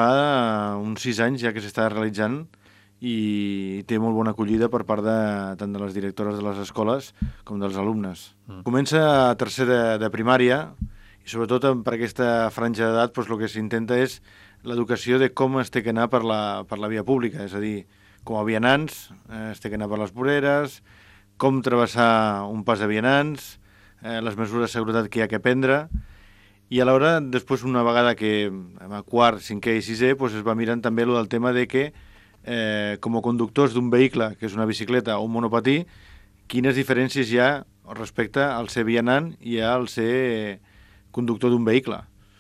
Fa uns 6 anys ja que s'està realitzant i té molt bona acollida per part tant de les directores de les escoles com dels alumnes. Comença a tercer de primària i sobretot per aquesta franja d'edat el que s'intenta és l'educació de com es té que anar per la via pública, és a dir, com a vianants es té que anar per les voreres, com travessar un pas de vianants, les mesures de seguretat que hi ha que prendre, i alhora, després, una vegada que a quart, cinquè i sisè, es va mirant també el tema de que, com a conductors d'un vehicle, que és una bicicleta o un monopatí, quines diferències hi ha respecte al ser vianant i al ser conductor d'un vehicle.